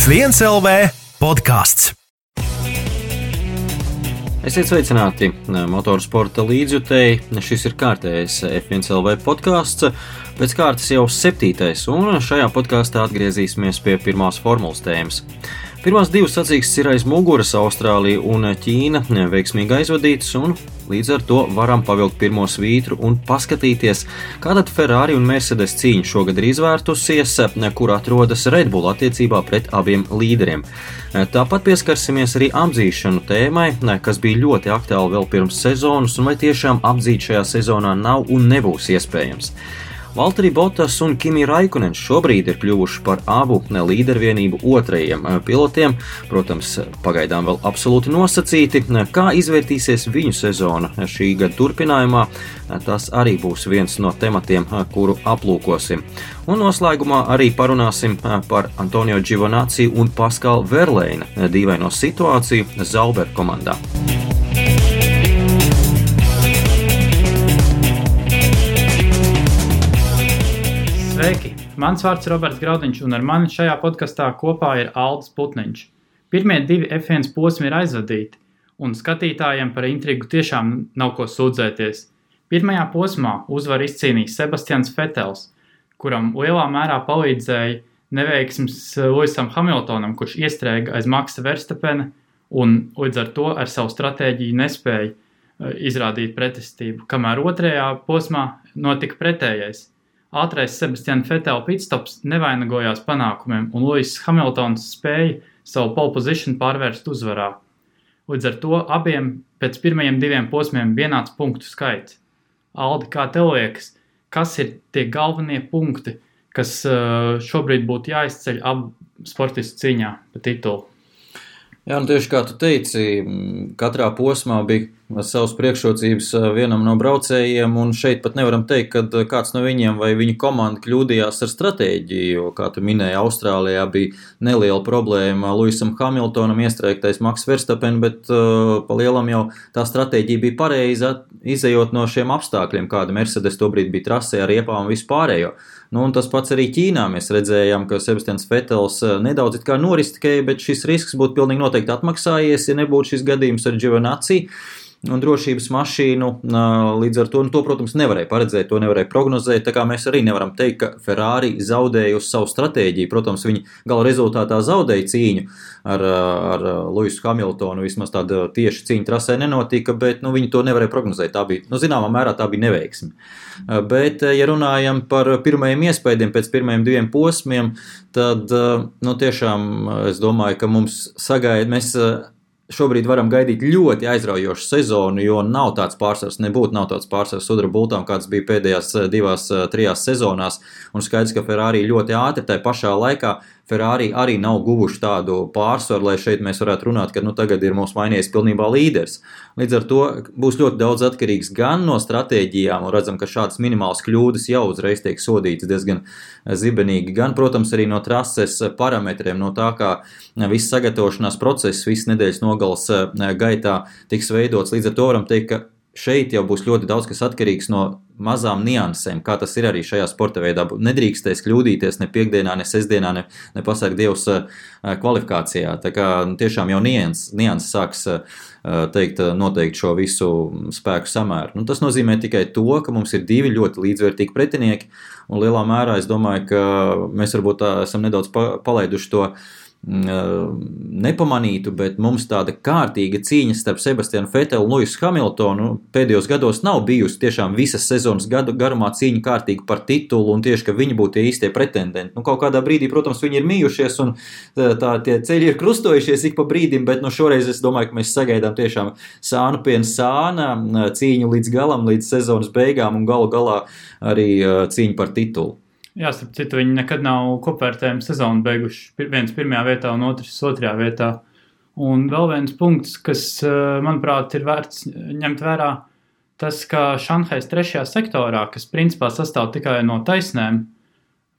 F1 LV podkāsts. Esiet sveicināti motorsporta līdzjutēji. Šis ir kārtējais F1 LV podkāsts. Pēc kārtas jau 7. un šajā podkāstā atgriezīsimies pie pirmās formulas tēmas. Pirmās divas sacīkstes ir aiz muguras, Austrālija un Ķīna veiksmīgi aizvadītas, un līdz ar to varam pavilkt pirmo svītru un paskatīties, kā tad Ferrari un Mercedes cīņa šogad ir izvērtusies, kur atrodas Red Bull attiecībā pret abiem līderiem. Tāpat pieskarsimies arī apdzīšanu tēmai, kas bija ļoti aktuāli vēl pirms sezonas, un vai tiešām apdzīt šajā sezonā nav un nebūs iespējams. Valtteri Bottas un Kimi Raikkonens šobrīd ir kļuvuši par abu līdervienību otrajiem pilotiem, protams, pagaidām vēl absolūti nosacīti. Kā izvērtīsies viņu sezona šī gada turpinājumā, tas arī būs viens no tematiem, kuru aplūkosim. Un noslēgumā arī parunāsim par Antonio Giovinazzi un Pascala Wehrleina dīvaino situāciju Sauber komandā. Sveiki! Mans vārds ir Roberts Graudiņš, un ar mani šajā podkastā kopā ir Aldis Putniņš. Pirmie divi F1 posmi ir aizvadīti, un skatītājiem par intrigu tiešām nav ko sūdzēties. Pirmajā posmā uzvaru izcīnīja Sebastians Vettels, kuram lielā mērā palīdzēja neveiksmes Lewisam Hamiltonam, kurš iestrēga aiz Maxa Verstappena un līdz ar to ar savu stratēģiju nespēja izrādīt pretestību, kamēr otrajā posmā notika pretējais. Ātrais Sebastiana Vettela pitstops nevainagojās panākumiem, un Lewis Hamiltons spēja savu pole position pārvērst uzvarā. Līdz ar to abiem pēc pirmajiem diviem posmiem vienāds punktu skaits. Aldi, kā tev liekas, kas ir tie galvenie punkti, kas šobrīd būtu jāizceļ abu sportistu cīņā pa titulu? Jā, tieši kā tu teici, katrā posmā bija savas priekšrocības vienam no braucējiem, un šeit pat nevaram teikt, ka kāds no viņiem vai viņu komanda kļūdījās ar stratēģiju, jo, kā tu minēji, Austrālijā bija neliela problēma Lewisam Hamiltonam iestrēgtais Max Verstappen, bet pa lielam jau tā stratēģija bija pareiza, izejot no šiem apstākļiem, kāda Mercedes tobrīd bija trasē ar riepām un vispārējo. Un tas pats arī Ķīnā mēs redzējām, ka Sebastians Vettels nedaudz it kā noristikēja, bet šis risks būtu pilnīgi noteikti atmaksājies, ja nebūtu šis gadījums ar Giovinazzi un drošības mašīnu. Līdz ar to, protams, nevarēja paredzēt, to nevarēja prognozēt, tā kā mēs arī nevaram teikt, ka Ferrari zaudēja uz savu stratēģiju. Protams, viņi gala rezultātā zaudēja cīņu ar Lewisu Hamiltonu, vismaz tāda tieši cīņa trasē nenotika, bet viņi to nevarēja prognozēt. Tā bija, zināmā mērā tā bija neveiksme. Bet, ja runājam par pirmajiem iespējiem pēc pirmajiem diviem posmiem, tad, tiešām es domāju, ka mums mēs šobrīd varam gaidīt ļoti aizraujošu sezonu, jo nav tāds pārsvars sudraba bultām, kāds bija pēdējās 2-3 sezonās, un skaidrs, ka Ferrari ļoti ātri, tai pašā laikā Ferrari arī nav guvuši tādu pārsvaru, lai šeit mēs varētu runāt, ka tagad ir mums mainījies pilnībā līderis. Līdz ar to būs ļoti daudz atkarīgs gan no stratēģijām, un redzam, ka šādas minimālas kļūdas jau uzreiz tiek sodītas diezgan zibenīgi, gan, protams, arī no trases parametriem, no tā, kā viss sagatavošanās process, viss nedēļas nogales gaitā tiks veidots. Līdz ar to varam teikt, ka šeit jau būs ļoti daudz kas atkarīgs no mazām niansēm, kā tas ir arī šajā sporta veidā. Nedrīkstēs kļūdīties ne piekdienā, ne sestdienā, ne pasarg Dievs kvalifikācijā. Tā kā tiešām jau nianses sāks noteikt šo visu spēku samēru. Tas nozīmē tikai to, ka mums ir divi ļoti līdzvērtīgi pretinieki, un lielā mērā es domāju, ka mēs varbūt esam nedaudz palaiduši to nepamanītu, bet mums tāda kārtīga cīņa starp Sebastianu Vettelu un Lewisu Hamiltonu pēdējos gados nav bijusi. Tiešām visas sezonas garumā cīņa kārtīgi par titulu, un tieši, ka viņi būtu tie īstie pretendenti. Kaut kādā brīdī, protams, viņi ir mījušies, un tie ceļi ir krustojušies ik pa brīdim, bet šoreiz es domāju, ka mēs sagaidām tiešām sānu pie sāna cīņu līdz galam, līdz sezonas beigām, un galu galā arī cīņu par titulu. Jā, starp citu, viņi nekad nav kopvērtējumu sezonu beiguši. Viens pirmajā vietā un otrs otrajā vietā. Un vēl viens punkts, kas, manuprāt, ir vērts ņemt vērā, tas, ka Šanhais 3. sektorā, kas principā sastāv tikai no taisnēm,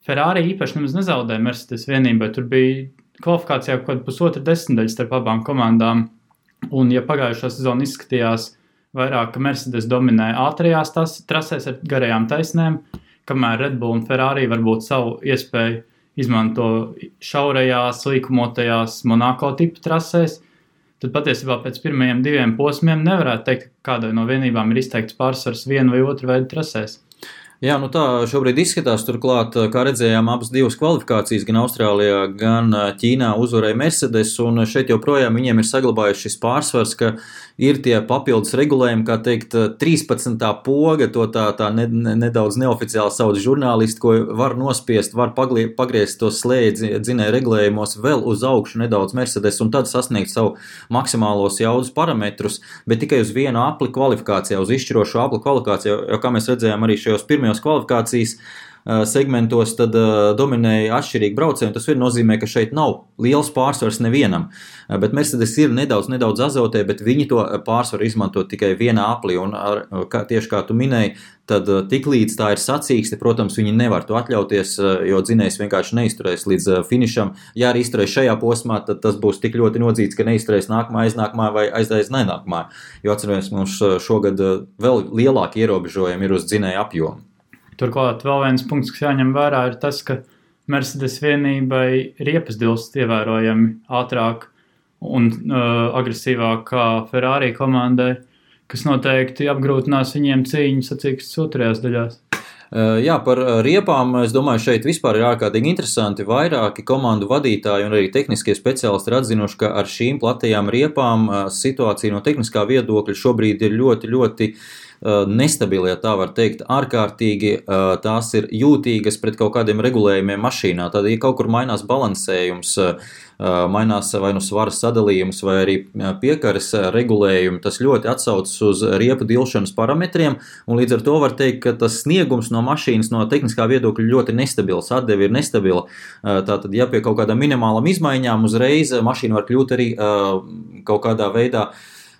Ferrari īpaši nemaz nezaudēja Mercedes vienībai. Tur bija kvalifikācijā kaut pusotra desmitaļa starp abām komandām. Un ja pagājušā sezona izskatījās vairāk, ka Mercedes dominēja ātrajās trasēs ar garajām taisnēm, kamēr Red Bull un Ferrari varbūt savu iespēju izmanto šaurajās, līkumotajās Monako tipu trasēs, tad patiesībā pēc pirmajiem 2 posmiem nevarētu teikt, ka kādai no vienībām ir izteikts pārsvars vienu vai otru veidu trasēs. Jā, nu tā šobrīd izskatās, turklāt, kā redzējām, abas 2 kvalifikācijas, gan Austrālijā, gan Ķīnā uzvarēja Mercedes, un šeit joprojām viņiem ir saglabājuši šis pārsvars, ka ir tie papildus regulējumi, kā teikt, 13. poga, to tā nedaudz neoficiāli sauc žurnālisti, ko var nospiest, var pagriezt tos slēdzi dzinēju regulējumos vēl uz augšu nedaudz Mercedes, un tad sasniegt savu maksimālos jaudas parametrus, bet tikai uz vienu apli kvalifikācijā, uz izšķirošo apli kvalifikācijā, jo kā mēs redzējām arī šajos pirmajos kvalifikācijas segmentos, tad dominēja atšķirīgi braucēji, un tas nozīmē, ka šeit nav liels pārsvars nevienam, bet Mercedes ir nedaudz azotē, bet viņi to pārsvaru izmanto tikai vienā aplī, un tieši kā tu minēji, tad tiklīdz tā ir sacīkste, protams, viņi nevar to atļauties, jo dzinējs vienkārši neizturēs līdz finišam. Ja arī izturēs šajā posmā, tad tas būs tik ļoti nodzīts, ka neizturēs nākamā, aiznākamā vai aiznākamā, jo atceramies, mums šogad vēl lielāki ierobežojumi ir uz dzinēju apjomu. Turklāt vēl viens punkts, kas jāņem vērā, ir tas, ka Mercedes vienībai riepas dilst ievērojami ātrāk un agresīvāk kā Ferrari komandai, kas noteikti apgrūtinās viņiem cīņu sacīkstes otrajās daļās. Jā, par riepām, es domāju, šeit vispār ir ārkārtīgi interesanti. Vairāki komandu vadītāji un arī tehniskie speciālisti ir atzinuši, ka ar šīm platajām riepām situācija no tehniskā viedokļa šobrīd ir ļoti nestabili, ja tā var teikt, ārkārtīgi tās ir jūtīgas pret kaut kādiem regulējumiem mašīnā. Tad, ja kaut kur mainās balansējums, mainās vai nu svaras sadalījums vai arī piekares regulējumi, tas ļoti atsaucas uz riepu dilšanas parametriem, un līdz ar to var teikt, ka tas sniegums no mašīnas no tehniskā viedokļa ļoti nestabils, atdeve ir nestabila. Tātad, ja pie kaut kādām minimālam izmaiņām uzreiz mašīna var kļūt arī kaut kādā veidā,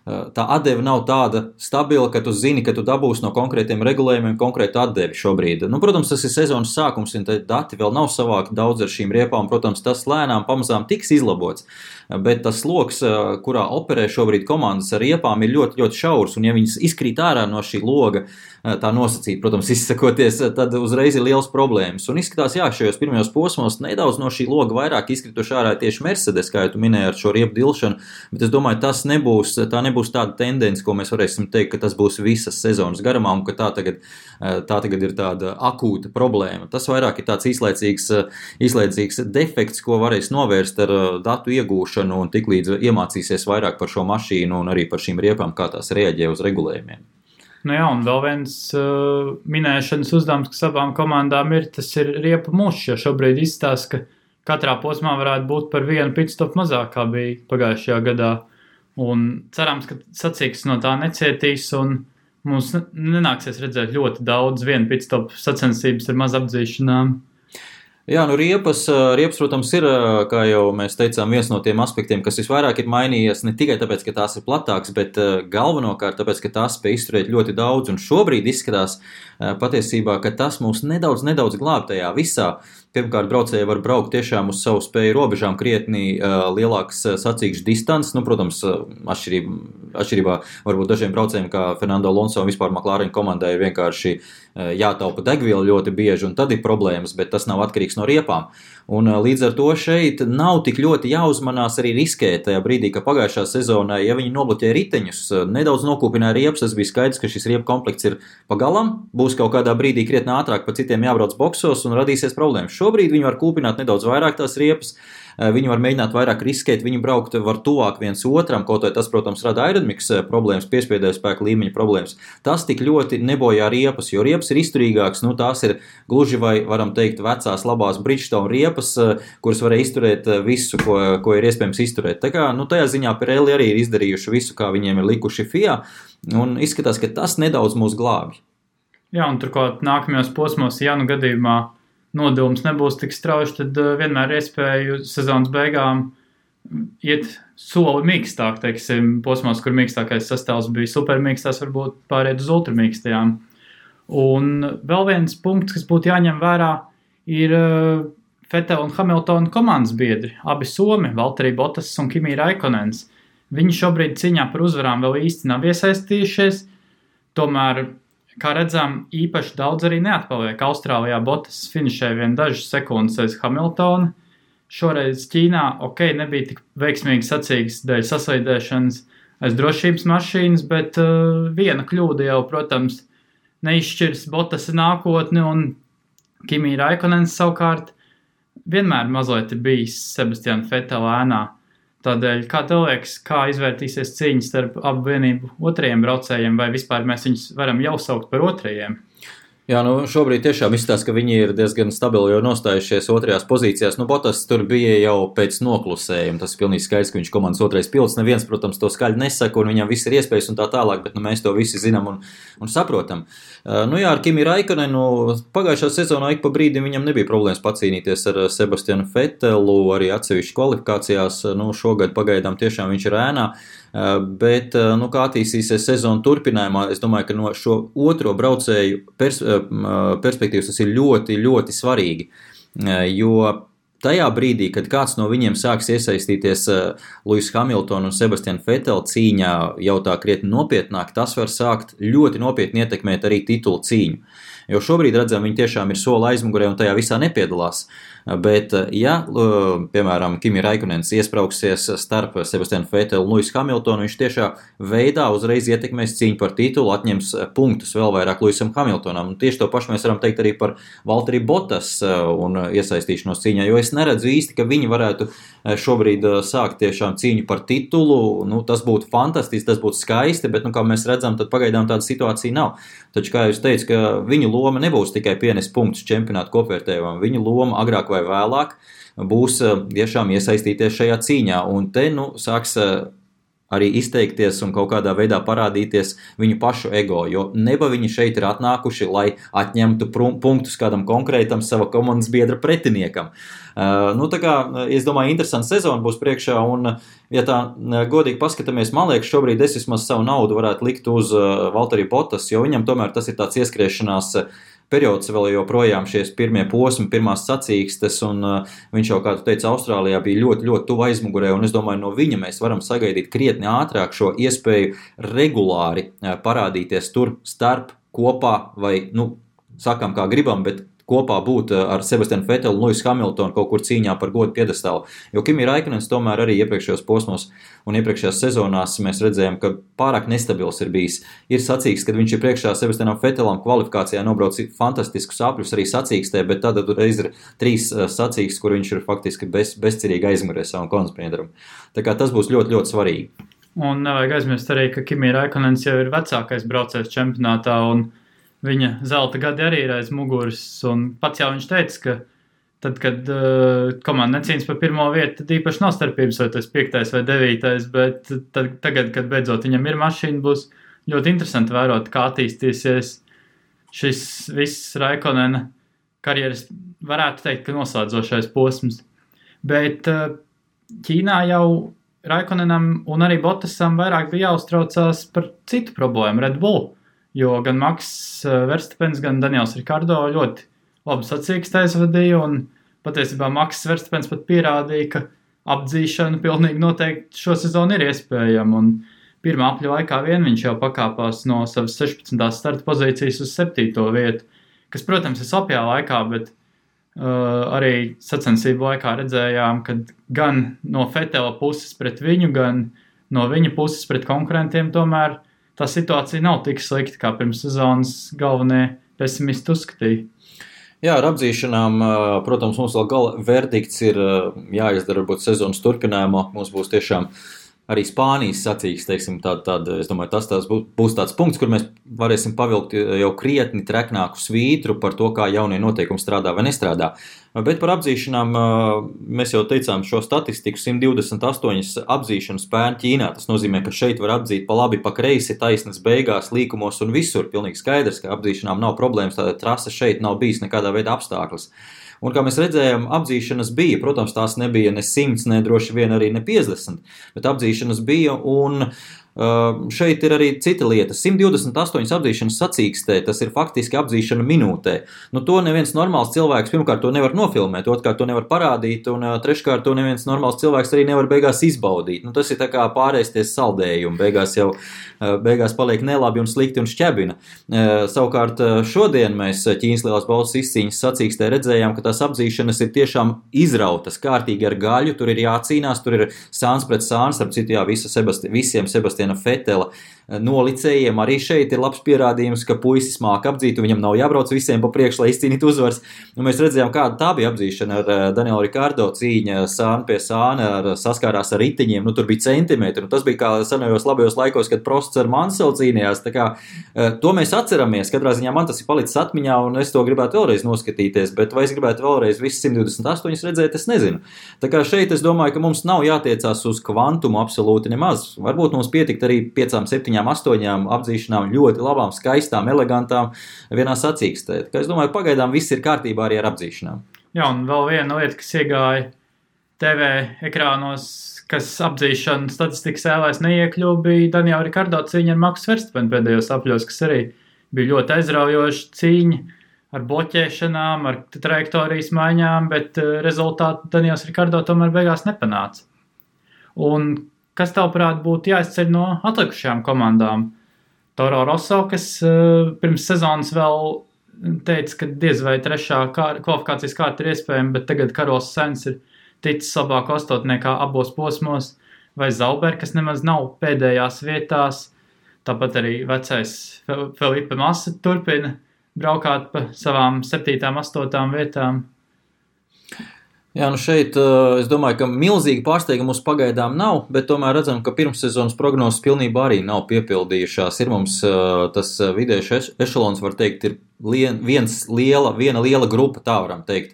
tā atdeve nav tāda stabila, ka tu zini, ka tu dabūsi no konkrētiem regulējumiem konkrētu atdevi šobrīd. Nu, protams, tas ir sezonas sākums, un dati vēl nav savākti daudz ar šīm riepām. Protams, tas lēnām pamazām tiks izlabots, bet tas loks, kurā operē šobrīd komandas ar riepām, ir ļoti šaurs, un ja viņas izkrīt ārā no šī loga, tā nosacīt, protams, izsakoties, tad uzreiz ir liels problēmas. Un izskatās, jā, šajos pirmajos posmos nedaudz no šī loga vairāk izkrituši ārā tieši Mercedes, kā jau tu minēji ar šo riepu dilšanu, bet es domāju, tā nebūs tāda tendence, ko mēs varēsim teikt, ka tas būs visas sezonas garumā un ka tā tagad ir tāda akūta problēma. Tas vairāk ir tāds īslaicīgs defekts, ko varēs novērst ar datu iegūšanu un tiklīdz iemācīsies vairāk par šo mašīnu un arī par šīm riepām, kā tās reaģē uz regulējumiem. Nu jā, un vēl viens minēšanas uzdevums, kas abām komandām ir, tas ir riepu mušs, jo šobrīd izstāsta, ka katrā posmā varētu būt par vienu pitstop mazāk, kā bija pagājušajā gadā. Un cerams, ka sacīks no tā necietīs un mums nenāksies redzēt ļoti daudz vienu pitstop sacensības ar maz apdzīšanām. Jā, nu riepas, protams, ir, kā jau mēs teicām, viens no tiem aspektiem, kas visvairāk ir mainījies, ne tikai tāpēc, ka tās ir platāks, bet galvenokārt tāpēc, ka tās spēj izturēt ļoti daudz, un šobrīd izskatās patiesībā, ka tas mūs nedaudz glāb tajā visā. Pirmkārt, braucēji var braukt tiešām uz savu spēju robežām krietni lielākas sacīkšu distances. Nu, protams, atšķirībā varbūt dažiem braucējiem, kā Fernando Alonso un vispār McLaren komandai ir vienkārši jātaupa degviela ļoti bieži, un tad ir problēmas, bet tas nav atkarīgs no riepām. Un līdz ar to šeit nav tik ļoti jāuzmanās arī riskēt tajā brīdī, ka pagājušā sezonā, ja viņi nobloķē riteņus, nedaudz nokūpināja riepas, tas bija skaidrs, ka šis riepu komplekts ir pagalam, būs kaut kādā brīdī krietni ātrāk pa citiem jābrauc boksos un radīsies problēmas. Šobrīd viņi var kūpināt nedaudz vairāk tās riepas, viņi var mēģināt vairāk riskēt, viņi braukt var tuvāk viens otram, kaut vai tas, protams, rada aerodinamikas problēmas, piespiedēju spēku līmeņa problēmas. Tas tik ļoti nebojā riepas, jo riepas ir izturīgāks, nu tās ir gluži vai, varam teikt, vecās labās Bridgestone riepas, kuras varēja izturēt visu, ko ir iespējams izturēt. Tā kā, nu tajā ziņā Pirelli arī ir izdarījuši visu, kā viņiem ir likuši FIA, un izskatās, ka tas nedaudz mūs glābj. Jā, un turklāt nākamajos posmos, ja nu gadījumā nodilums nebūs tik strauji, tad vienmēr iespēju sezonas beigām iet soli mīkstāk, teiksim, posmos, kur mīkstākais sastāvs bija supermīkstās, varbūt pāriet uz ultramīkstajām. Un vēl viens punkts, kas būtu jāņem vērā, ir Vettel un Hamiltona komandas biedri, abi somi, Valtteri Bottas un Kimi Räikkönens. Viņi šobrīd cīņā par uzvarām vēl īsti nav iesaistījušies, tomēr kā redzam, īpaši daudz arī neatpaliek. Austrālijā Bottas finišēja vien dažas sekundes aiz Hamiltona. Šoreiz Ķīnā, nebija tik veiksmīgi sacīgs dēļ saslīdēšanas aiz drošības mašīnas, bet viena kļūda jau, protams, neizšķirs Bottas nākotni, un Kimi Raikkonens savukārt vienmēr mazliet ir bijis Sebastiana Vettela ēnā. Tādēļ, kā tev liekas, kā izvērtīsies cīņa starp abu vienību otrajiem braucējiem, vai vispār mēs viņus varam jau saukt par otrajiem? Jā, šobrīd tiešām izstāsta, ka viņi ir diezgan stabili jau nostājušies otrajās pozīcijās. Bottas tur bija jau pēc noklusējuma. Tas ir pilnīgi skaidrs, ka viņš komandas otrais pilots. Neviens, protams, to skaļi nesaka, un viņam viss ir iespējas un tā tālāk, bet mēs to visi zinām un saprotam. Ar Kimi Raikkonenu pagājušā sezonā ik pa brīdim viņam nebija problēmas pacīnīties ar Sebastianu Vettelu, arī atsevišķi kvalifikācijās. Šogad pagaidām tiešām viņš ir ēnā. Bet, kā attīstīsies sezonu turpinājumā, es domāju, ka no šo otro braucēju perspektīvas tas ir ļoti, ļoti svarīgi, jo tajā brīdī, kad kāds no viņiem sāks iesaistīties Lewis Hamilton un Sebastian Vettel cīņā jau tā krietni nopietnāk, tas var sākt ļoti nopietni ietekmēt arī titulu cīņu. Jo šobrīd redzam, viņi tiešām ir soli aizmugurē un tajā visā nepiedalās. Bet, ja, piemēram, Kimi Raikkonens iesprauksies starp Sebastianu Vettelu un Lewis Hamiltonu, viņš tiešā veidā uzreiz ietekmēs cīņu par titulu, atņems punktus vēl vairāk Lewisam Hamiltonam. Un tieši to pašu mēs varam teikt arī par Valtteri Bottas un iesaistīšanos cīņā, jo es neredzu īsti, ka viņi varētu šobrīd sākt tiešām cīņu par titulu. Tas būtu fantastiski, tas būtu skaisti, bet, kā mēs redzam, tad pagaidām tāda situācija nav. Taču, kā jūs teicu, ka viņu loma nebūs tikai pienest punktus čempionātu kopvērtējumam, viņu loma agrāk vai vēlāk būs tiešām iesaistīties šajā cīņā, un te sāks arī izteikties un kaut kādā veidā parādīties viņu pašu ego, jo neba viņi šeit ir atnākuši, lai atņemtu punktus kādam konkrētam sava komandas biedra pretiniekam. Tā kā, es domāju, interesanta sezona būs priekšā, un, ja tā godīgi paskatāmies, man liekas, šobrīd es vismaz savu naudu varētu likt uz Valtteri Bottas, jo viņam tomēr tas ir tāds ieskriešanās periods, vēl joprojām šies pirmie posmi, pirmās sacīkstes, un viņš jau, kā tu teici, Austrālijā bija ļoti, ļoti tuvu aizmugurē, un es domāju, no viņa mēs varam sagaidīt krietni ātrāk šo iespēju regulāri parādīties tur starp, kopā, vai, sakām kā gribam, bet kopā būt ar Sebastianu Vettelu un Lewis Hamiltonu kaut kur cīņā par godu piedestālu. Jo Kimi Raikkonens tomēr arī iepriekšējos posmos un iepriekšējās sezonās mēs redzējām, ka pārāk nestabils ir bijis. Ir sacīks, kad viņš ir priekšā Sebastianam Vettelam kvalifikācijā nobrauc fantastiskus apļus arī sacīkstē, bet tad reiz ir 3 sacīks, kur viņš ir faktiski bezcerīgi aizmugurē savam konkurentiem. Tā kā tas būs ļoti, ļoti svarīgi. Un nevajag aizmirst arī, ka Kimi Raikkonens jau ir vecākais braucējs čempionātā, un viņa zelta gadi arī ir aiz muguras, un pats jau viņš teica, ka tad, kad komanda necīnas par pirmo vietu, tad īpaši nav starpības, vai tas 5. vai 9. Bet tagad, kad beidzot viņam ir mašīna, būs ļoti interesanti vērot, kā attīstīsies šis viss Raikkonena karjeras, varētu teikt, ka noslēdzošais posms. Bet Ķīnā jau Raikkonenam un arī Bottasam vairāk bija jāuztraucās par citu problēmu, Red Bull. Jo gan Maks Verstapens, gan Daniels Ricardo ļoti labi sacīkstēs vadīja, un patiesībā Maks Verstapens pat pierādīja, ka apdzīšana pilnīgi noteikti šo sezonu ir iespējama, un pirmā apļa laikā vien viņš jau pakāpās no savas 16. starta pozīcijas uz 7. vietu, kas, protams, ir slapjā laikā, bet arī sacensību laikā redzējām, ka gan no Vettela puses pret viņu, gan no viņa puses pret konkurentiem tomēr tā situācija nav tik slikta, kā pirms sezonas galvenie pesimisti uzskatīja. Jā, ar apdzīšanām, protams, mums vēl gala verdikts ir jāizdara, varbūt sezonas turpinājumā. Mums būs tiešām arī Spānijas sacīks, teiksim, es domāju, tas būs tāds punkts, kur mēs varēsim pavilkt jau krietni treknāku svītru par to, kā jaunie noteikumi strādā vai nestrādā. Bet par apdzīšanām mēs jau teicām šo statistiku, 128 apdzīšanu spēni Ķīnā. Tas nozīmē, ka šeit var apdzīt pa labi, pa kreisi, taisnas beigās, līkumos un visur. Pilnīgi skaidrs, ka apdzīšanām nav problēmas, tāda trase šeit nav bijis nekādā veidā apstākļus. Un kā mēs redzējām, apdzīšanas bija, protams, tās nebija ne 100, ne droši vien arī ne 50, bet apdzīšanas bija, un Šeit ir arī cita lieta. 128 apdzīšanas sacīkstē, tas ir faktiski apdzīšana minūtē. Nu, to neviens normāls cilvēks, pirmkārt, to nevar nofilmēt, otrkārt, to nevar parādīt, un treškārt, to neviens normāls cilvēks arī nevar beigās izbaudīt. Nu, tas ir tā kā pārēsties saldējumi, beigās paliek nelabi un slikti un šķebina. Savukārt, šodien mēs Ķīnas lielās balvas izcīņas sacīkstē redzējām, ka tās apdzīšanas ir tiešām izrautas kārtīgi ar gaļu, tur ir jācīnās, tur ir sāns pret sāns, starp citu, jā, visiem Sebastiana Fetela nolicējiem arī šeit ir labs pierādījums, ka puisis māk apdzīt, un viņam nav jābrauc visiem pa priekšu, lai izcīnītu uzvaras. Un mēs redzējām, kāda tā bija apdzīšana ar Danielu Rikardo cīņa sāna pie sāna, saskārās ar ritiņiem, nu tur bija centimetri, un tas bija kā senajos labajos laikos, kad Prosts ar Manselu cīnījās, tā kā to mēs atceramies, katrā ziņā man tas ir palicis atmiņā, un es to gribētu vēlreiz noskatīties, bet vai es gribētu vēlreiz visas 128 redzēt, es nezinu. Tā kā šeit es domāju, ka mums nav jātiecās uz kvantumu absolūti nemaz. Varbūt mums pietikt arī 5, 7, 8 apdzīšanām ļoti labām, skaistām, elegantām vienā sacīkstē. Tā kā es domāju, pagaidām viss ir kārtībā arī ar apdzīšanām. Jā, un vēl viena lieta, kas iegāja TV ekrānos, kas apdzīšana statistikas ēlēs neiekļuva, bija Daniela Rikardo cīņa ar Maksu Verstapenu pēdējos apļos, kas arī bija ļoti aizraujoša cīņa ar bloķēšanām, ar trajektorijas maiņām, bet rezultātu Daniels Rikardo tomēr beigās nepanāca. Un kas tavuprāt būtu jāizceļ no atlikušajām komandām? Toro Rosso, kas pirms sezonas vēl teica, ka diez vai 3. kvalifikācijas kārta ir iespējama, bet tagad Karols Sainz ir ticis labāk astotniekā abos posmos, vai Zauber, kas nemaz nav pēdējās vietās, tāpat arī vecais Felipe Massa turpina braukāt pa savām 7, 8 vietām. Jā, nu šeit es domāju, ka milzīgi pārsteigumi mums pagaidām nav, bet tomēr redzam, ka pirmssezonas prognozes pilnībā arī nav piepildījušās. Ir mums tas vidējais ešalons, var teikt, ir viena liela grupa, tā varam teikt.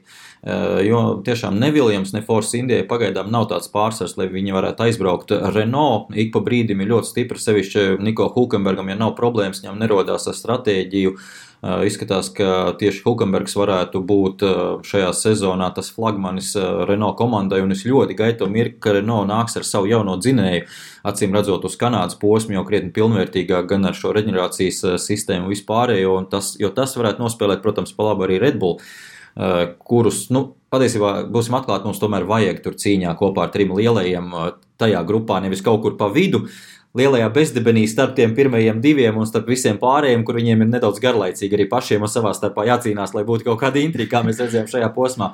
Jo tiešām ne Williams, ne Force India pagaidām nav tāds pārsvars, lai viņi varētu aizbraukt. Renault ik pa brīdim ir ļoti stipri, sevišķi Niko Hulkenbergam, ja nav problēmas, viņam nerodās ar stratēģiju. Izskatās, ka tieši Hulkenbergs varētu būt šajā sezonā tas flagmanis Renault komandai, un es ļoti gaidu mirkli, ka Renault nāks ar savu jauno dzinēju, acīm redzot uz Kanādas posmu, jau krietni pilnvērtīgāk gan ar šo reģenerācijas sistēmu vispārējo, jo tas varētu nospēlēt, protams, pa labu arī Red Bull, kurus, patiesībā būsim atklāti, mums tomēr vajag tur cīņā kopā ar 3 lielajiem tajā grupā, nevis kaut kur pa vidu, lielajā bezdebenī starp tiem pirmajiem 2 un starp visiem pārējiem, kur viņiem ir nedaudz garlaicīgi arī pašiem un savā starpā jācīnās, lai būtu kaut kāda intriga, kā mēs redzējām šajā posmā.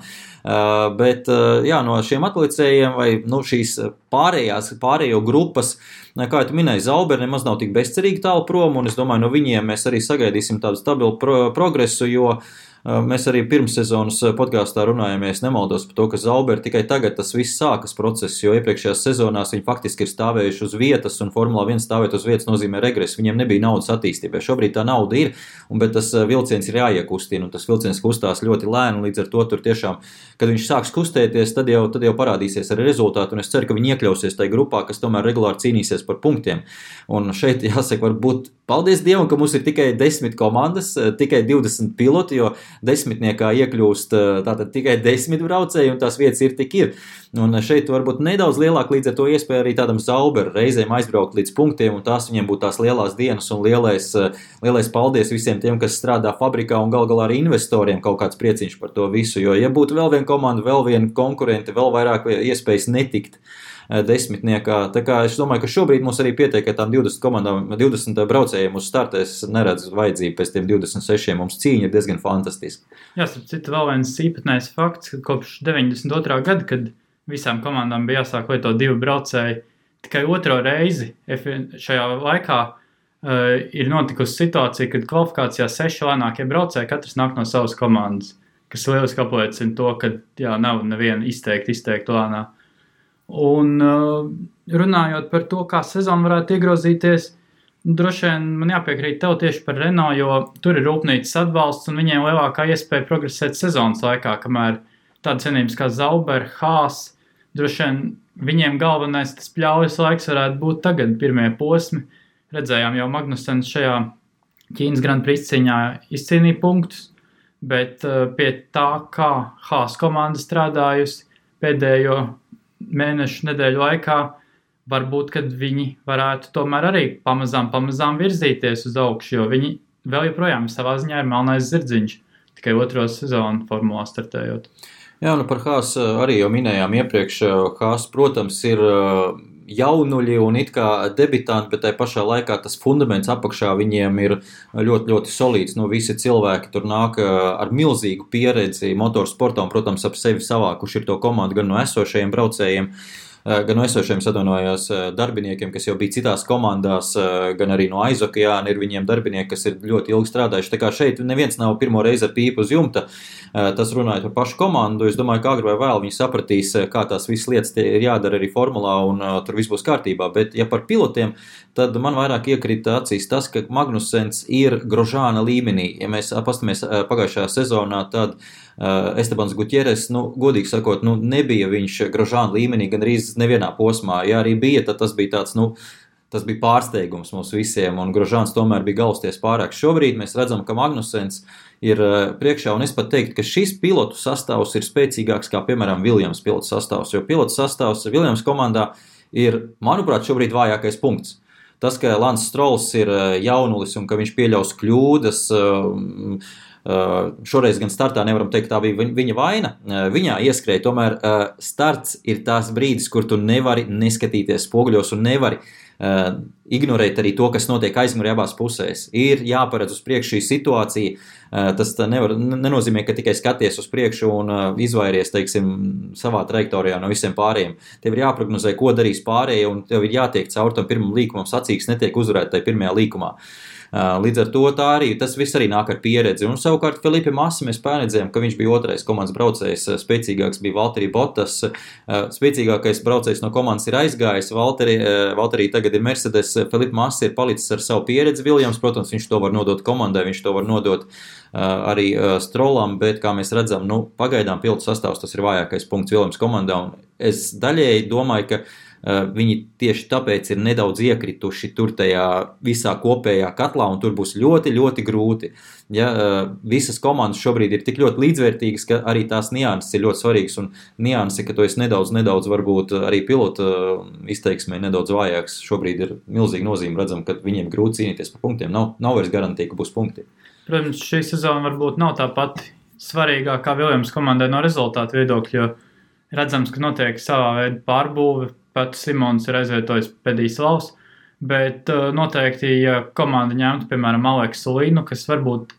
Bet jā, no šiem atlicējiem vai šīs pārējo grupas, kā tu minēji, Zauber nemaz nav tik bezcerīgi tālu prom, un es domāju, no viņiem mēs arī sagaidīsim tādu stabilu progresu, jo mēs arī pirmssezonas podkāstā runājamies, nemaldos par to, ka Zauber tikai tagad tas viss sākas process, jo iepriekšējās sezonās viņi faktiski ir stāvējuši uz vietas, un Formula 1 stāvēt uz vietas nozīmē regresu. Viņiem nebija naudas attīstībai. Šobrīd tā nauda ir, bet tas vilciens ir jāiekustina, un tas vilciens kustās ļoti lēni, līdz ar to tur tiešām, kad viņš sāks kustēties, tad jau parādīsies arī rezultāti, un es ceru, ka viņi iekļausies tajā grupā, kas tomēr regulāri cīnīsies par punktiem. Un šeit jāsaka, varbūt paldies Dievam, ka mums ir tikai 10 komandas, tikai 20 piloti, jo 10 iekļūst tātad tikai 10 braucēji, un tās vietas ir tik ir. Un šeit varbūt nedaudz lielāk līdz ar to iespēja arī tādam Zauber reizēm aizbraukt līdz punktiem, un tās viņiem būtu tās lielās dienas un lielais paldies visiem tiem, kas strādā fabrikā, un galā arī investoriem kaut kāds prieciņš par to visu, jo ja būtu vēl viena komanda, vēl viena konkurente, vēl vairāk iespējas netikt 10. Tā kā es domāju, ka šobrīd mums arī pietiek, ka tām 20 komandām, 20 braucējiem uz startēs neredz vajadzību pēc tiem 26. Mums cīņa ir diezgan fantastiska. Jā, starp citu vēl viens īpatnējs fakts, ka kopš 92. gada, kad visām komandām bija jāsāk lietot 2 braucēji, tikai 2. reizi šajā laikā ir notikusi situācija, kad kvalifikācijā 6 lēnākie braucēji, katrs nāk no savas komandas, kas lieliski apliecina to, ka nav neviena izteikti lēnā. Un runājot par to, kā sezona varētu iegrozīties, droši vien man jāpiekrīt tev tieši par Renault, jo tur ir rūpnīcas atbalsts un viņiem lielākā iespēja progresēt sezonas laikā, kamēr tādas vienības kā Zauber, Haas, droši vien viņiem galvenais tas pļaujas laiks varētu būt tagad pirmie posmi. Redzējām jau Magnusens šajā Ķīnas Grand Prix cīņā izcīnīja punktus, bet pie tā, kā Haas komanda strādājusi pēdējo mēnešu nedēļu laikā, varbūt, kad viņi varētu tomēr arī pamazām virzīties uz augšu, jo viņi vēl joprojām savā ziņā ir melnais zirdziņš, tikai otro sezonu formulā startējot. Jā, par Haas arī jau minējām iepriekš. Haas, protams, ir jaunuļi un it kā debitanti, bet tai pašā laikā tas fundaments apakšā viņiem ir ļoti, ļoti solīds. Visi cilvēki tur nāk ar milzīgu pieredzi motorsportā un, protams, ap sevi savākuši ir to komandu gan no esošajiem braucējiem, gan no esošiem darbiniekiem, kas jau bija citās komandās, gan arī no aizokeāna ir viņiem darbinieki, kas ir ļoti ilgi strādājuši. Tā kā šeit neviens nav pirmo reizi ar pīpu uz jumta, tas runājot par pašu komandu. Es domāju, ka agri vai vēl viņi sapratīs, kā tās visas lietas ir jādara arī formulā un tur viss būs kārtībā. Bet ja par pilotiem, tad man vairāk iekrita acīs tas, ka Magnusens ir Grožāna līmenī. Ja mēs pastamies pagājušajā sezonā, tad Estebans Gutjeres, godīgi sakot, nebija viņš Grožāna līmenī gan arī nevienā posmā. Ja arī bija, tad tas bija tāds, tas bija pārsteigums mums visiem, un Grožāns tomēr bija galvasties pārāk. Šobrīd mēs redzam, ka Magnusens ir priekšā, un es pat teiktu, ka šis pilotu sastāvs ir spēcīgāks kā, piemēram, Williams pilotu sastāvs, jo pilotu sastāvs Williams komandā ir, manuprāt, šobrīd vājākais punkts. Tas, ka Lance Strolls ir jaunulis un ka viņš pieļaus kļūdas, šoreiz gan startā nevaram teikt, tā bija viņa vaina. Viņā ieskrēja, tomēr starts ir tās brīdis, kur tu nevari neskatīties spoguļos un nevari ignorēt arī to, kas notiek aizmugurē abās pusēs. Ir jāparedz uz priekšu šī situācija. Tas nenozīmē, ka tikai skaties uz priekšu un izvairies, teiksim, savā trajektorijā no visiem pārējiem. Tev ir jāprognozē, ko darīs pārējie, un tev ir jātiek caur tam pirmam līkumam, sacīks netiek uzvarēt tajā pirmajā līkumā. Līdz ar to tas viss arī nāk ar pieredzi. Un savukārt Felipe Massa mēs pārredzējām, ka viņš bija otrais komandas braucējs, spēcīgāks bija Valtteri Bottas, spēcīgākais braucējs no komandas ir aizgājis, Valtteri tagad ir Mercedes, Felipe Massa ir palicis ar savu pieredzi Williams, protams, viņš to var nodot komandai, viņš to var nodot arī Strollam, bet, kā mēs redzam, pagaidām pilotu sastāvs tas ir vājākais punkts Williams komandā, un es daļēji domāju, ka viņi tieši tāpēc ir nedaudz iekrituši tur tajā visā kopējā katlā, un tur būs ļoti, ļoti grūti. Ja, visas komandas šobrīd ir tik ļoti līdzvērtīgas, ka arī tās nianses ir ļoti svarīgas, un nianses, ka tu esi nedaudz varbūt arī pilota izteiksmē nedaudz vājāks, šobrīd ir milzīga nozīme, redzam, ka viņiem grūti cīnīties par punktiem, nav vairs garantija, ka būs punkti. Protams, šī sezona varbūt nav tā pati svarīgākā Williams komandai no rezultātu viedokļa, jo redzams, ka notiek savā veida pārbūve. Pats Simons ir aizvietojis Pedīslavs, bet noteikti, ja komanda ņemtu, piemēram, Aleksu Līnu, kas varbūt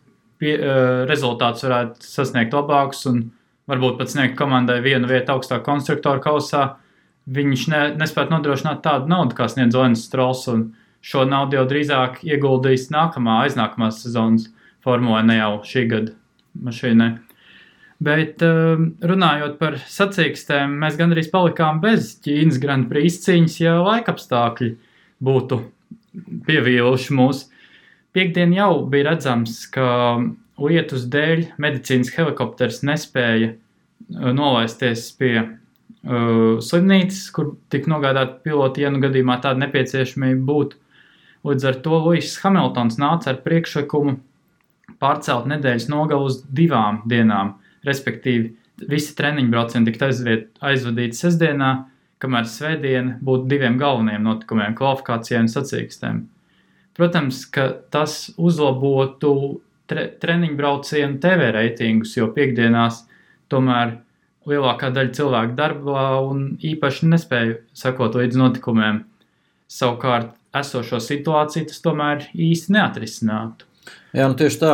rezultātus varētu sasniegt labākus un varbūt pat sniegt komandai vienu vietu augstāk konstruktoru kausā, viņš nespētu nodrošināt tādu naudu, kā sniedz Lance Strolls, un šo naudu jau drīzāk ieguldīs aiznākamās sezonas formulē, ne jau šī gada mašīnai. Bet runājot par sacīkstēm, mēs gandrīz palikām bez Ķīnas Grand Prix cīņas, ja laikapstākļi būtu pievīluši mūs. Piektdien jau bija redzams, ka lietus dēļ medicīnas helikopters nespēja nolaisties pie slimnīcas, kur tika nogādāti piloti, ja gadījumā tāda nepieciešamība būtu. Līdz ar to Lewis Hamiltons nāca ar priekšlikumu pārcelt nedēļas nogalu uz 2 dienām. Respektīvi, visi treniņu braucieni tika aizvadīti sestdienā, kamēr svētdiena būtu 2 galvenajiem notikumiem - kvalifikācijai un sacīkstēm. Protams, ka tas uzlabotu treniņu braucienu TV reitingus, jo piekdienās tomēr lielākā daļa cilvēku darbā un īpaši nespēja sekot līdz notikumiem. Savukārt esošo situāciju tas tomēr īsti neatrisinātu. Jā, tieši tā.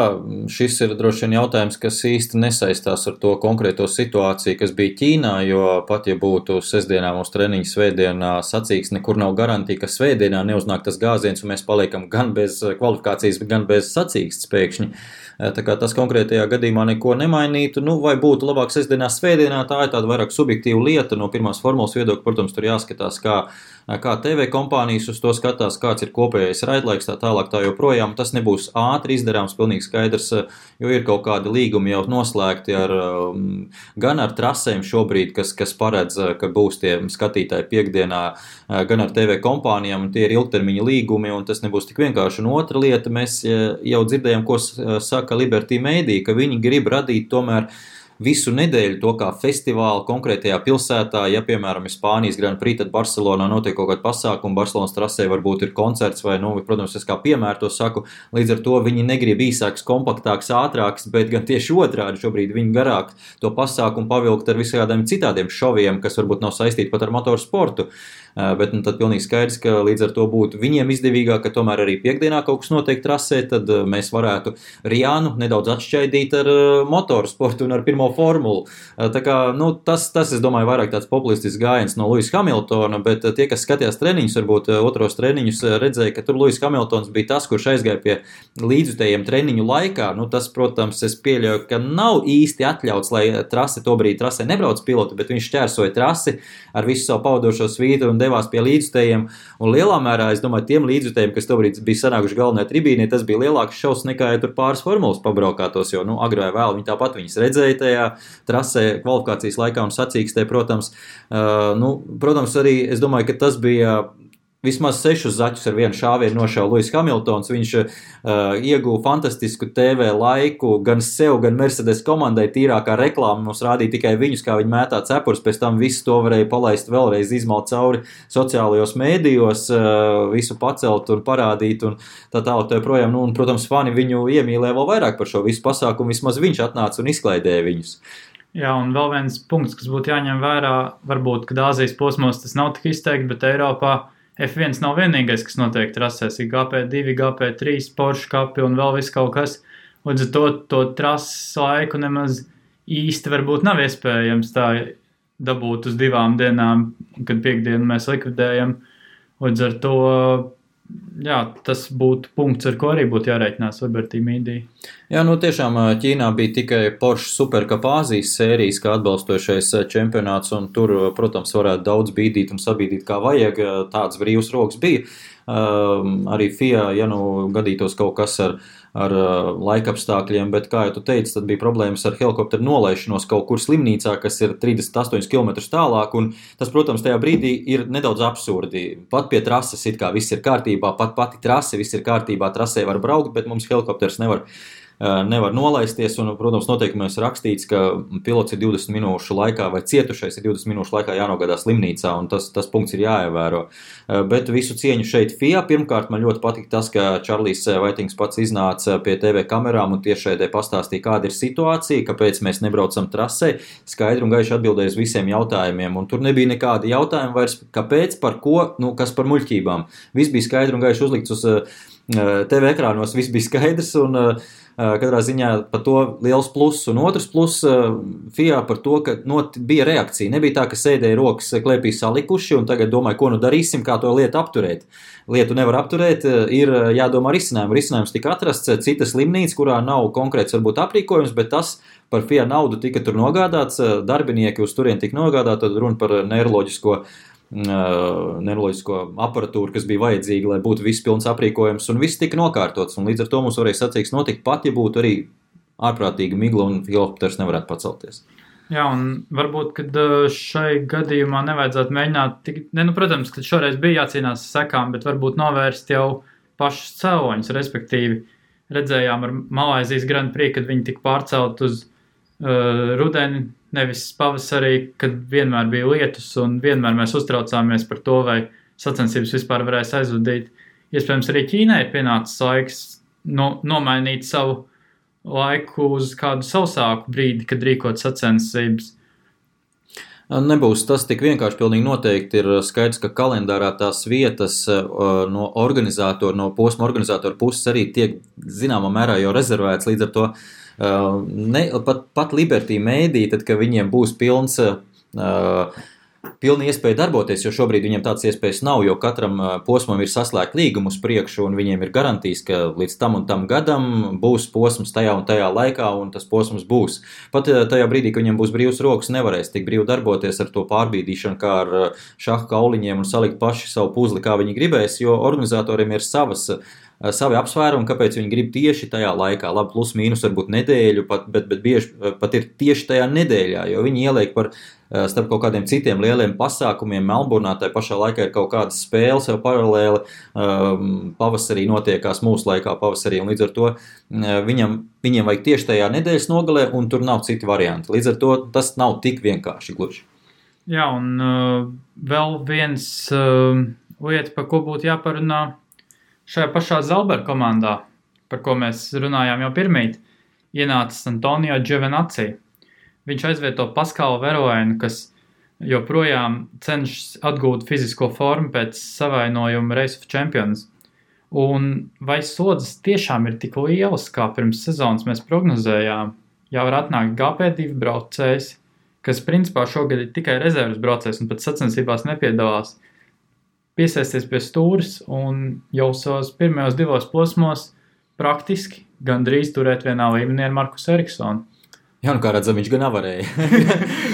Šis ir droši vien jautājums, kas īsti nesaistās ar to konkrēto situāciju, kas bija Ķīnā, jo pat ja būtu sestdienā mūsu treniņu, svētdienā sacīks, nekur nav garantija, ka svētdienā neuznāk tas gāziens un mēs paliekam gan bez kvalifikācijas, gan bez sacīks pēkšņi. Tā kā tas konkrētajā gadījumā neko nemainītu, vai būtu labāk sestdienā, svētdienā, tā ir tāda vairāk subjektīva lieta. No pirmās formulas viedokļa, protams, tur jāskatās, kā TV kompānijas uz to skatās, kāds ir kopējais raidlaiks, tā tālāk tā joprojām. Tas nebūs ātri izdarāms, pilnīgi skaidrs, jo ir kaut kādi līgumi jau noslēgti gan ar trasēm šobrīd, kas paredz, ka būs tie skatītāji piekdienā, gan ar TV kompānijām, un tie ir ilgtermiņa līgumi, un tas nebūs tik vienkārši. Un otra lieta, mēs jau dzirdējām, ko saka Liberty Media, ka viņi grib radīt tomēr visu nedēļu to kā festivālu konkrētajā pilsētā. Ja, piemēram, ir Spānijas Grand Prix, tad Barcelonā notiek kaut kāda pasākuma, Barcelonas trasē varbūt ir koncerts vai, protams, es kā piemēru to saku, līdz ar to viņi negrib īsāks, kompaktāks, ātrāks, bet gan tieši otrādi šobrīd viņi garāk to pasākumu pavilkt ar visādiem citādiem šoviem, kas varbūt nav saistīti pat ar motorsportu. Bet tad pilnīgi skaidrs, ka līdz ar to būtu viņiem izdevīgāk, ka tomēr arī piekdienā kaut kas notiek trasē, tad mēs varētu Riānu nedaudz atšķaidīt ar motorsportu un ar pirmo formulu. Tā kā, tas, es domāju, vairāk tāds populistisks gājiens no Lewisa Hamiltona, bet tie, kas skatījās treniņus, varbūt otros treniņus, redzēja, ka tur Lewis Hamiltons bija tas, kurš aizgāja pie līdzjutējiem treniņu laikā. Tas, protams, es pieļauju, ka nav īsti atļauts, lai trasē nebrauc piloti, bet viņš šķērsoja trasi ar visu savu pavadošo svītu un devās pie līdzjutējiem. Un lielā mērā, es domāju, tiem līdzjutējiem, kas tobrīd bija sanākuši galvenajā tribīnē, tas bija lielāks šaus nekā, ja tur pāris formulas pabraukātos, jo, agrāk vai vēl viņi tāpat viņas redzēja tajā trasē kvalifikācijas laikā un sacīkstē, protams. Protams, arī es domāju, ka tas bija vismaz 6 zaķus ar vienu šāvienu nošauja Lewis Hamiltons. Viņš ieguva fantastisku TV laiku gan sev, gan Mercedes komandai. Tīrākā reklāma mums rādīja tikai viņus, kā viņi mētā cepurus, pēc tam visu to varēja palaist vēlreiz, izmalt cauri sociālajos mēdījos, visu pacelt un parādīt un tā tālāk joprojām. Un, protams, fani viņu iemīlēja vēl vairāk par šo visu pasākumu, vismaz viņš atnāca un izklaidēja viņus. Jā, un vēl viens punkts, kas būtu jāņem vērā, varbūt, kad Āzijas posmos tas nav tik izteikti, bet Eiropā F1 nav vienīgais, kas notiek trasēs, ir GP2, GP3, Porsche kapi un vēl viss kaut kas. Līdz ar to trases laiku nemaz īsti varbūt nav iespējams tā dabūt uz 2 dienām, kad piekdienu mēs likvidējam. Līdz ar to, jā, tas būtu punkts, ar ko arī būtu jārēķinās Liberty Media. Jā, tiešām Ķīnā bija tikai Porsche Supercup Āzijas sērijas kā atbalstošais čempionāts, un tur, protams, varētu daudz bīdīt un sabīdīt kā vajag, tāds brīvs rokas bija. Arī FIA, ja gadītos kaut kas ar laikapstākļiem, bet, kā jau tu teici, tad bija problēmas ar helikopteru nolaišanos kaut kur slimnīcā, kas ir 38 km tālāk, un tas, protams, tajā brīdī ir nedaudz absurdi. Pat pie trases it kā viss ir kārtībā, pati trase, viss ir kārtībā, trasē var braukt, bet mums helikopters nevar nolaisties, un, protams, noteikumos rakstīts, ka pilots ir 20 minūšu laikā vai cietušais ir 20 minūšu laikā jānogādā slimnīcā, un tas punkts ir jāievēro. Bet visu cieņu šeit FIA. Pirmkārt, man ļoti patīk tas, ka Čarlijs Vaitings pats iznāca pie TV kamerām un tiešraidē pastāstīja, kāda ir situācija, kāpēc mēs nebraucam trasē, skaidri un gaiši atbildēja uz visiem jautājumiem, un tur nebija nekādi jautājumi vairs, kāpēc, par ko, kas par muļķībām. Viss bija skaidri un gaiši uzlikts uz TV ekrānos, viss bija skaidrs, un katrā ziņā par to liels pluss, un otrs pluss FIA par to, ka bija reakcija. Nebija tā, ka sēdēja rokas klēpī salikuši un tagad domāja, ko darīsim, kā to lietu apturēt. Lietu nevar apturēt, ir jādomā risinājumu. Risinājums tika atrasts cita slimnīca, kurā nav konkrēts varbūt aprīkojums, bet tas par FIA naudu tika tur nogādāts, darbinieki uz turien tika nogādāti, tad runa par neiroloģisko aparatūru, kas bija vajadzīga, lai būtu viss pilns aprīkojums, un viss tika nokārtots, un līdz ar to mums varēja sacīks notikt pat, ja būtu arī ārprātīga migla un helikopters nevarētu pacelties. Jā, un varbūt, kad šai gadījumā nevajadzētu mēģināt, protams, kad šoreiz bija jācīnās sekām, bet varbūt novērst jau pašus cēloņus, respektīvi redzējām ar Malaizijas Grand Prix, kad viņi tika pārcelt uz rudeni, nevis pavasarī, kad vienmēr bija lietus un vienmēr mēs uztraucāmies par to, vai sacensības vispār varēs aizvadīt. Iespējams, arī Ķīnai ir pienācis laiks nomainīt savu laiku uz kādu sausāku brīdi, kad rīkot sacensības. Nebūs tas tik vienkārši, pilnīgi noteikti ir skaidrs, ka kalendārā tās vietas no posma organizātoru puses arī tiek zināmā mērā jau rezervēts, līdz ar to pat Liberty Media, tad, ka viņiem būs pilna iespēja darboties, jo šobrīd viņiem tāds iespējas nav, jo katram posmam ir saslēgt līgumu uz priekšu, un viņiem ir garantijas, ka līdz tam un tam gadam būs posms tajā un tajā laikā, un tas posms būs. Pat tajā brīdī, ka viņiem būs brīvs rokas, nevarēs tik brīvi darboties ar to pārbīdīšanu, kā ar šaha kauliņiem un salikt paši savu puzli, kā viņi gribēs, jo organizatoriem ir savas savi apsvērumi, kāpēc viņi grib tieši tajā laikā, labi, plus mīnus varbūt nedēļu, bet bieži pat ir tieši tajā nedēļā, jo viņi ieliek starp kaut kādiem citiem lieliem pasākumiem. Melburnā tajā pašā laikā ir kaut kādas spēles jau paralēli, pavasarī notiekās mūsu laikā pavasarī, un līdz ar to viņiem vajag tieši tajā nedēļas nogalē, un tur nav citi varianti. Līdz ar to tas nav tik vienkārši gluži. Jā, un vēl viens lieta, par ko būtu jāparunā šajā pašā Zalber komandā, par ko mēs runājām jau pirmīt, ienācis Antonio Giovinazzi. Viņš aizvieto Paskalu Verlainu, kas joprojām cenšas atgūt fizisko formu pēc savainojuma Race of Champions. Un vai slodzes tiešām ir tik lielas, kā pirms sezonas mēs prognozējām? Jau var atnākt GP2 braucējs, kas principā šogad ir tikai rezerves braucējs un pat sacensībās nepiedalās, piesaisties pie stūres un jau savos pirmajos 2 posmos praktiski gandrīz turēt vienā līmenī ar Markusu Eriksonu. Jā, kā redzam, viņš gan nevarēja.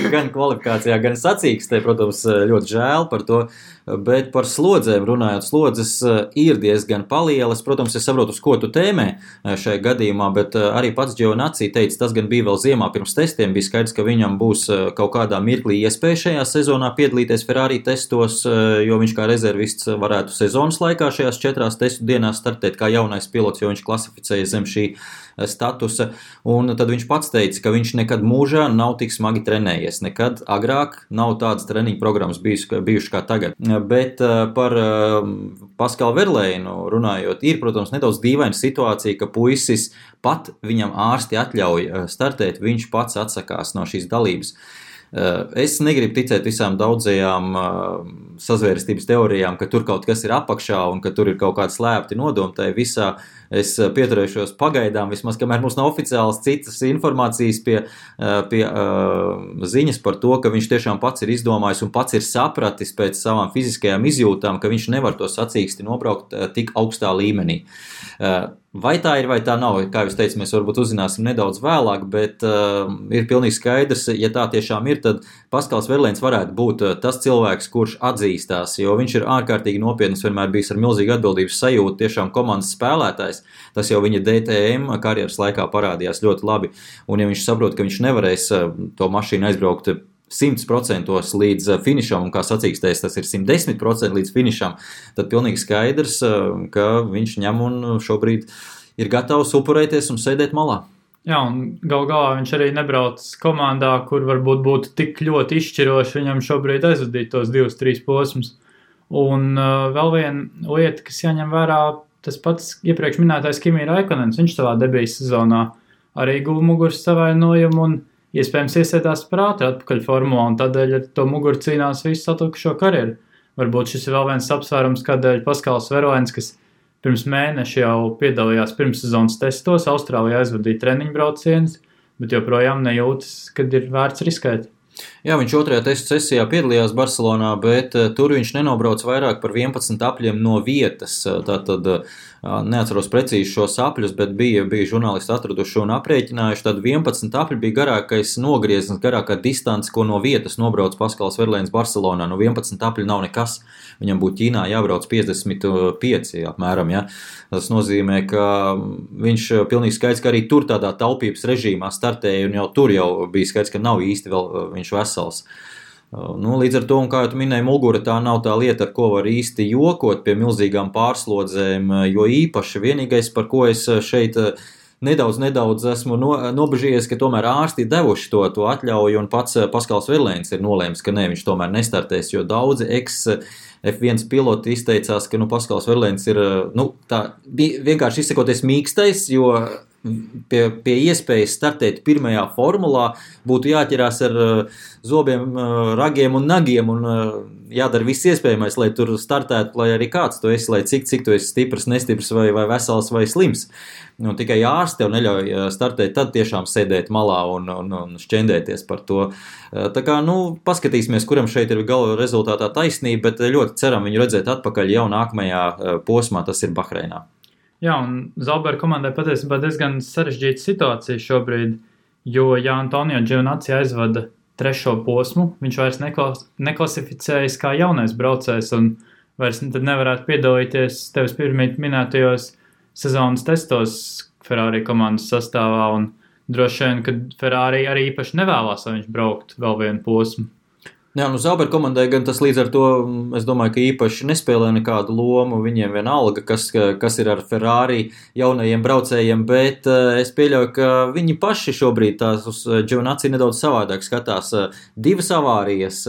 Gan kvalifikācijā, gan sacīkstē, protams, ļoti žēl par to. Bet par slodzēm runājot, slodzes ir diezgan palielas. Protams, es saprotu, uz ko tu tēmē šajā gadījumā, bet arī pats Giovinazzi teica, tas gan bija vēl ziemā pirms testiem. Bija skaidrs, ka viņam būs kaut kādā mirklī iespēja šajā sezonā piedalīties Ferrari testos, jo viņš kā rezervists varētu sezonas laikā šajās 4 testu dienās startēt kā jaunais pilots, jo viņš klasificēja zem šī statusa. Un tad viņš pats teica, ka viņš nekad mūžā nav tik smagi trenējies. Nekad agrāk nav tādas treniņu programmas bijušas kā tagad. Bet par Paskalu Verlainu runājot, ir, protams, nedaudz dīvaina situācija, ka puisis pat viņam ārsti atļauj startēt, viņš pats atsakās no šīs dalības. Es negribu ticēt visām daudzajām sazvērstības teorijām, ka tur kaut kas ir apakšā un ka tur ir kaut kāda slēpti nodomi. Tai visā es pieturēšos pagaidām, vismaz kamēr mums nav oficiāls citas informācijas pie ziņas par to, ka viņš tiešām pats ir izdomājis un pats ir sapratis pēc savām fiziskajām izjūtām, ka viņš nevar to sacīksti nobraukt tik augstā līmenī. Vai tā ir, vai tā nav, kā jūs teicat, mēs varbūt uzzināsim nedaudz vēlāk, bet ir pilnīgi skaidrs, ja tā tiešām ir, tad Paskals Verlains varētu būt tas cilvēks, kurš atzīstās, jo viņš ir ārkārtīgi nopietns, vienmēr bijis ar milzīgu atbildības sajūtu, tiešām komandas spēlētājs. Tas jau viņa DTM karjeras laikā parādījās ļoti labi, un ja viņš saprot, ka viņš nevarēs to mašīnu aizbraukt 100% līdz finišam, un kā sacīkstēs, tas ir 110% līdz finišam, tad pilnīgi skaidrs, ka viņš ņem un šobrīd ir gatavs upurēties un sēdēt malā. Jā, un galā viņš arī nebrauc komandā, kur varbūt būtu tik ļoti izšķiroši viņam šobrīd aizvadīt tos 2-3 posmus. Un vēl viena lieta, kas jāņem vērā, tas pats iepriekš minētais Kimi Raikkonens, viņš savā debijas sezonā arī guva muguras savainojumu un iespējams iesēdās par ātri atpakaļ formulā, un tādēļ ar to muguru cīnās visu atlikušo karjeru. Varbūt šis ir vēl viens apsvērums, kādēļ Paskals Verlains, kas pirms mēneša jau piedalījās pirmssezonas testos, Austrālijā aizvadīja treniņu braucienus, bet joprojām nejūtas, kad ir vērts riskēt. Jā, viņš 2. testu sesijā piedalījās Barcelonā, bet tur viņš nenobrauc vairāk par 11 apļiem no vietas. Tātad neatceros precīzi šos apļus, bet bija žurnālisti atraduši un aprēķinājuši. Tad 11 apļi bija garākais nogrieznis, garākā distance, ko no vietas nobrauc Paskals Verlains Barcelonā. No 11 apļi nav nekas. Viņam būtu Ķīnā jābrauc 55 apmēram. Ja? Tas nozīmē, ka viņš pilnīgi skaidrs, ka arī tur tādā taupības režīmā startēja, un jau tur jau bija skaidrs, ka nav īsti vēl viņš vesels. Līdz ar to, un kā jau tu minēji, mugura tā nav tā lieta, ar ko var īsti jokot pie milzīgām pārslodzēm, jo īpaši vienīgais, par ko es šeit nedaudz esmu nobežījies, ka tomēr ārsti ir devuši to atļauju, un pats Paskals Verlains ir nolēmis, ka ne, viņš tomēr nestartēs, jo daudzi F1 piloti izteicās, ka Paskals Verlains ir tā vienkārši izsakoties mīkstais, jo pie iespējas startēt pirmajā formulā būtu jāķerās ar zobiem, ragiem un nagiem un jādara viss iespējamais, lai tur startētu, lai arī kāds tu esi, lai cik tu esi stiprs, nestiprs vai vesels vai slims. Tikai ārsti tev neļauj startēt, tad tiešām sēdēt malā un šķendēties par to. Tā kā, paskatīsimies, kuram šeit ir gala rezultātā taisnība, bet ļoti ceram viņu redzēt atpakaļ jau nākamajā posmā, tas ir Bahreinā. Jā, un Zalber komandai patiesībā diezgan sarežģīta situācija šobrīd, jo ja Antonio Giovinazzi aizvada 3. posmu, viņš vairs neklasificējas kā jaunais braucējs un vairs tad nevarētu piedalīties tevis pirmīt minētajos sezonas testos Ferrari komandas sastāvā, un droši vien, ka Ferrari arī īpaši nevēlās, lai viņš brauktu vēl vienu posmu. Jā, Sauber komandai gan tas līdz ar to, es domāju, ka īpaši nespēlē nekādu lomu, viņiem vienalga, kas ir ar Ferrari jaunajiem braucējiem, bet es pieļauju, ka viņi paši šobrīd tās uz Giovinazzi nedaudz savādāk skatās. 2 avārijas,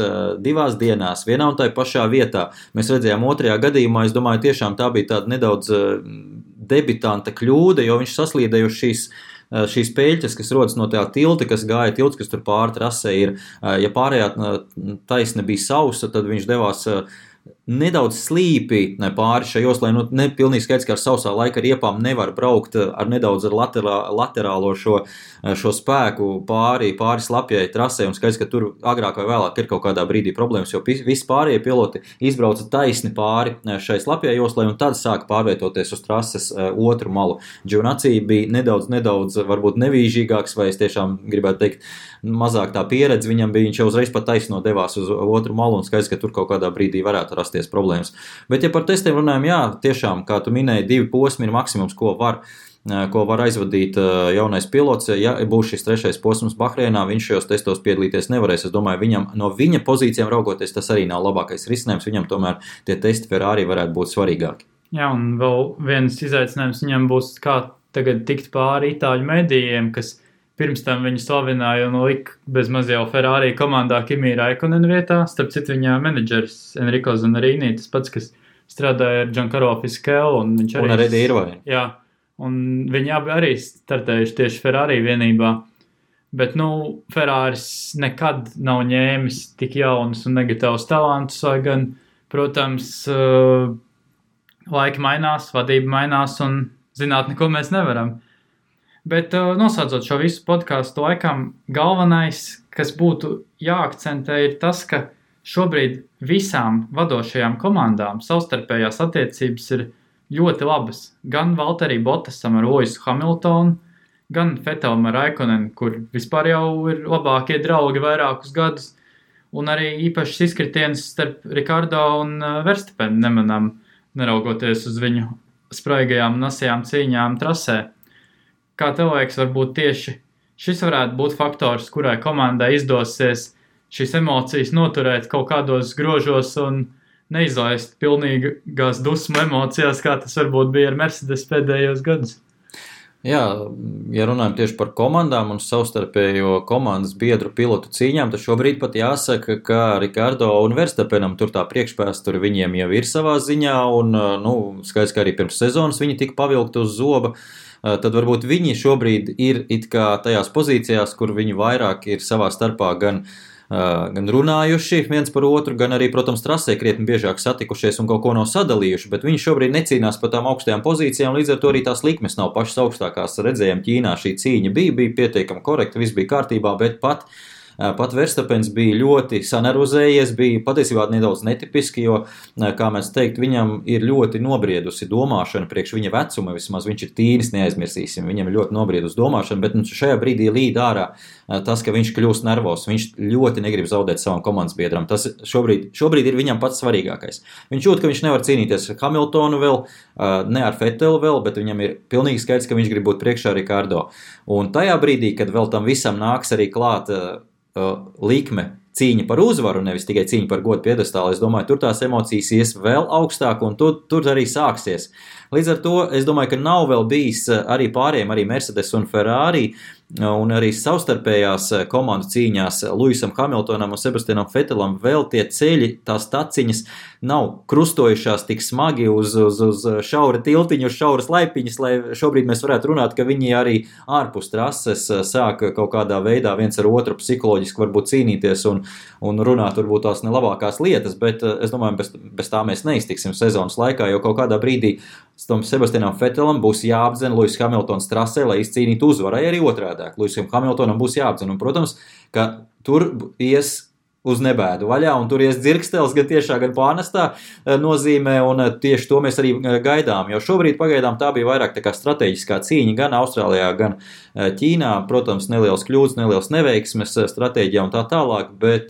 2 dienās, vienā un tai pašā vietā. Mēs redzējām otrajā gadījumā, es domāju, tiešām tā bija tāda nedaudz debitanta kļūda, jo viņš saslīdēja uz šīs peļķes, kas rodas no tā tilta, kas gāja tilts, kas tur pāri trasē ir. Ja pārējā taisne bija sausa, tad viņš devās nedaudz slīpi pāri šai joslai, ne pilnīgi skaidrs, ka ar sausā laika riepām nevar braukt ar nedaudz ar laterālo šo spēku pāri slapjai trasē, un skaidrs, ka tur agrāk vai vēlāk ir kaut kādā brīdī problēmas, jo visi pārējie piloti izbrauca taisni pāri šai slapjai joslai, un tad sāka pārvietoties uz trases otru malu. Giovinazzi bija nedaudz varbūt nevīžīgāks, vai es tiešām gribētu teikt, mazāk tā pieredze viņam bija, viņš jau uzreiz pat taisno devās uz otru malu, un skaidrs, ka tur kaut kādā brīdī varētu rasties problēmas. Bet, ja par testiem runājam, jā, tiešām, kā tu minēji, 2 posmi ir maksimums, ko var aizvadīt jaunais pilots. Ja būs šis 3. posms Bahreinā, viņš šajos testos piedalīties nevarēs. Es domāju, no viņa pozīcijām raugoties, tas arī nav labākais risinājums. Viņam tomēr tie testi Ferrari varētu būt svarīgāki. Jā, un vēl viens izaicinājums viņam būs, kā tagad tikt pāri itāļu medijiem, kas pirms tam viņu slavināja un lika bez maz jau Ferrari komandā Kimi Raikkonen vietā. Starp citu viņa menedžers Enrico Zanarīni, tas pats, kas strādāja ar Giancarlo Fisichella. Un ar Eddie Irvine. Jā, un viņi abi arī startējuši tieši Ferrari vienībā. Bet, Ferraris nekad nav ņēmis tik jaunus un negatīvus talantus, lai gan, protams, laiki mainās, vadība mainās un zināt, neko mēs nevaram. Bet noslēdzot šo visu podcastu, laikam galvenais, kas būtu jāakcentē, ir tas, ka šobrīd visām vadošajām komandām savstarpējās attiecības ir ļoti labas. Gan Valtteri Bottasam ar Lewisu Hamiltonu, gan Vettelam ar Raikkonenu, kur vispār jau ir labākie draugi vairākus gadus, un arī īpašs izkritiens starp Ricardo un Verstappenu nemanām, neraugoties uz viņu spraigajām un asajām cīņām trasē. Kā tev liekas, varbūt tieši šis varētu būt faktors, kurai komandai izdosies šīs emocijas noturēt kaut kādos grožos un neizlaist pilnīgās dusmu emocijās, kā tas varbūt bija ar Mercedes pēdējos gadus? Jā, ja runājam tieši par komandām un savstarpējo komandas biedru pilotu cīņām, tad šobrīd pat jāsaka, ka Ricardo un Verstappenam tur tā priekšpēsture viņiem jau ir savā ziņā, un skaidrs, ka arī pirms sezonas viņi tika pavilkti uz zoba. Tad varbūt viņi šobrīd ir it kā tajās pozīcijās, kur viņi vairāk ir savā starpā gan runājuši viens par otru, gan arī, protams, trasē krietni biežāk satikušies un kaut ko nav sadalījuši, bet viņi šobrīd necīnās par tām augstajām pozīcijām, līdz ar to arī tās likmes nav pašas augstākās. Redzējām, Ķīnā šī cīņa bija pietiekami korekta, viss bija kārtībā, bet pat Verstappens bija ļoti sanervozējies, bija patiesībā nedaudz netipiski, jo, kā mēs teikt, viņam ir ļoti nobriedusi domāšana priekš viņa vecuma, vismaz viņš ir tīnis, neaizmirsīsim, viņam ir ļoti nobriedusi domāšana, bet šajā brīdī līd ārā tas, ka viņš kļūst nervos, viņš ļoti negrib zaudēt savam komandas biedram, tas šobrīd ir viņam pats svarīgākais. Viņš jūt, ka viņš nevar cīnīties ar Hamiltonu vēl, ne ar Vettelu vēl, bet viņam ir pilnīgi skaidrs, ka viņš grib būt priekšā Ricardo. Un tajā brīdī, kad vēl tam visam nāks arī klāt likme cīņa par uzvaru, nevis tikai cīņa par godu piedestālu, es domāju, tur tās emocijas ies vēl augstāk un tur arī sāksies. Līdz ar to es domāju, ka nav vēl bijis arī pārējiem, arī Mercedes un Ferrari un arī savstarpējās komandu cīņās Lewisam Hamiltonam un Sebastianam Vettelam vēl tie ceļi, tās taciņas nav krustojušās tik smagi uz šaura tiltiņu, uz šauras laipiņas, lai šobrīd mēs varētu runāt, ka viņi arī ārpus trases sāk kaut kādā veidā viens ar otru psiholoģiski varbūt cīnīties un runāt varbūt tās nelabākās lietas, bet es domāju, bez tā mēs neiztiksim sezonas laikā, jo kaut kādā brīdī Sebastianam Vettelam būs jāapdzen Lewis Hamiltons trasē, lai izcīnītu uzvarai arī otrādāk. Lewisam Hamiltonam būs jāapdzen, un, protams, ka tur ies uz nebēdu vaļā, un tur ies dzirkstels gan tiešā, gan pārnestā nozīmē, un tieši to mēs arī gaidām, jo šobrīd pagaidām tā bija vairāk tā kā strateģiskā cīņa gan Austrālijā, gan Ķīnā, protams, neliels kļūdas, neliels neveiksmes stratēģijā un tā tālāk, bet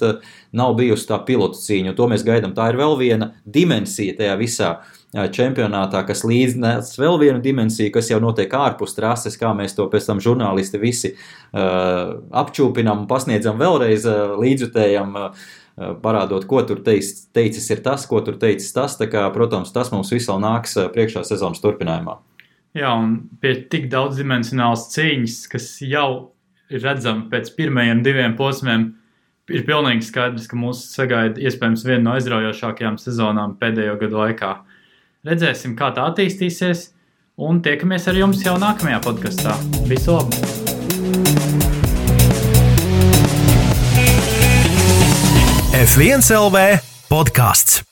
nav bijusi tā pilotu cīņa, un to mēs gaidām. Tā ir vēl viena dimensija tajā visā, čempionātā, kas līdz vēl vienu dimensiju, kas jau notiek ārpus trases, kā mēs to pēc tam žurnālisti visi apčūpinām un pasniedzam vēlreiz līdzjutējam, parādot, ko tur teicis ir tas, ko tur teicis tas, tā kā, protams, tas mums viss vēl nāks priekšā sezonas turpinājumā. Jā, un pie tik daudzdimensionāls cīņas, kas jau ir redzama pēc pirmajiem 2 posmiem, ir pilnīgi skaidrs, ka mūs sagaida iespējams viena no aizraujošākajām sezonām pēdējo gadu laikā. Redzēsim, kā tā attīstīsies, un tiekamies ar jums jau nākamajā podkastā. Visu labu! F1 LV podcasts.